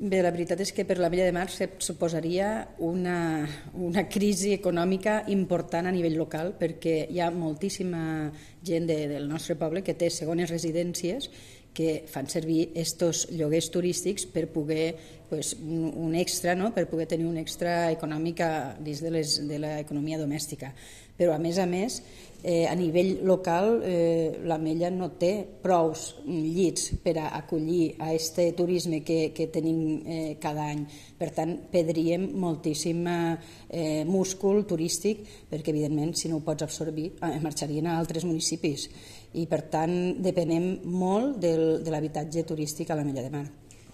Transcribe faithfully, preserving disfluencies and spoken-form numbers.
Bé, la veritat és que per l'Ametlla de Mar suposaria una, una crisi econòmica important a nivell local, perquè hi ha moltíssima gent de, del nostre poble que té segones residències que fan servir estos lloguers turístics per poder, pues, un, un extra, no? Per poder tenir un extra econòmic dins de, les, de l'economia domèstica. Però, a més a més, eh, a nivell local, eh, l'Ametlla no té prous llits per a acollir a este turisme que, que tenim eh, cada any. Per tant, perdríem moltíssim eh, múscul turístic, perquè, evidentment, si no ho pots absorbir, eh, marxarien a altres municipis. I, per tant, depenem molt del, de l'habitatge turístic a l'Ametlla de Mar.